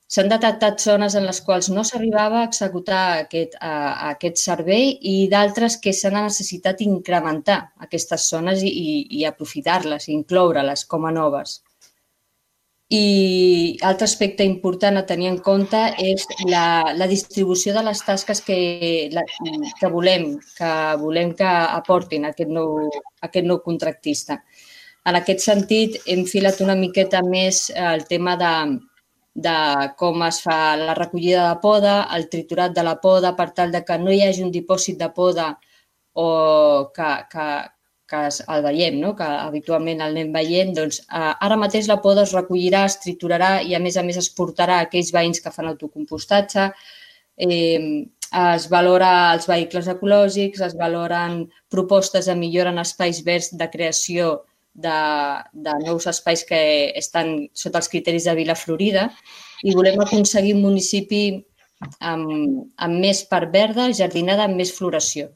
S'han detectat zones en les quals no s'arribava a executar aquest servei i d'altres que s'ha necessitat incrementar aquestes zones i aprofitar-les, incloure-les com a noves. I altre aspecte important a tenir en compte és la distribució de les tasques que volem que aportin aquest nou contractista. En aquest sentit, hem filat una miqueta més el tema de com es fa la recollida de poda, el triturat de la poda, per tal de que no hi hagi un dipòsit de poda o que el veiem, no? Que habitualment el anem veient, doncs ara mateix la poda es recollirà, es triturarà i a més es portarà a aquells veïns que fan autocompostatge, es valora els vehicles ecològics, es valoren propostes de millora en espais verds de creació de nous espais que estan sota els criteris de Vila Florida i volem aconseguir un municipi amb més part verda, jardinada, amb més floració.